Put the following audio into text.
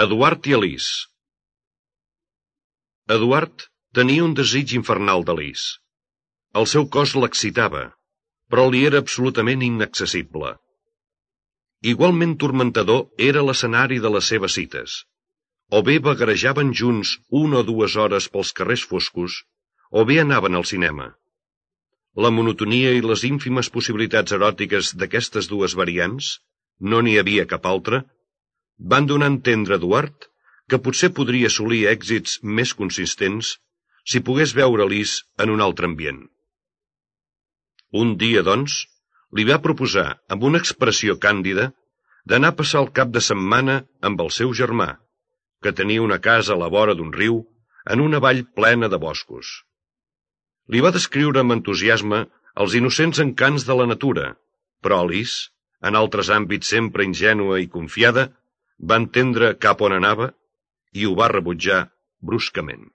Eduard i Alice. Eduard tenia un desig infernal d'Alice. El seu cos l'excitava, però li era absolutament inaccessible. Igualment turmentador era l'escenari de les seves cites. O bé vagarejaven junts 1 o 2 hores pels carrers foscos, o bé anaven al cinema. La monotonia i les ínfimes possibilitats eròtiques d'aquestes dues variants, no n'hi havia cap altra, van donar a entendre a Eduard que potser podria assolir èxits més consistents si pogués veure Alice en un altre ambient. Un dia, doncs, li va proposar, amb una expressió càndida, d'anar a passar el cap de setmana amb el seu germà, que tenia una casa a la vora d'un riu en una vall plena de boscos. Li va descriure amb entusiasme els innocents encants de la natura, però Alice, en altres àmbits sempre ingènua i confiada, va entendre cap on anava i ho va rebutjar bruscament.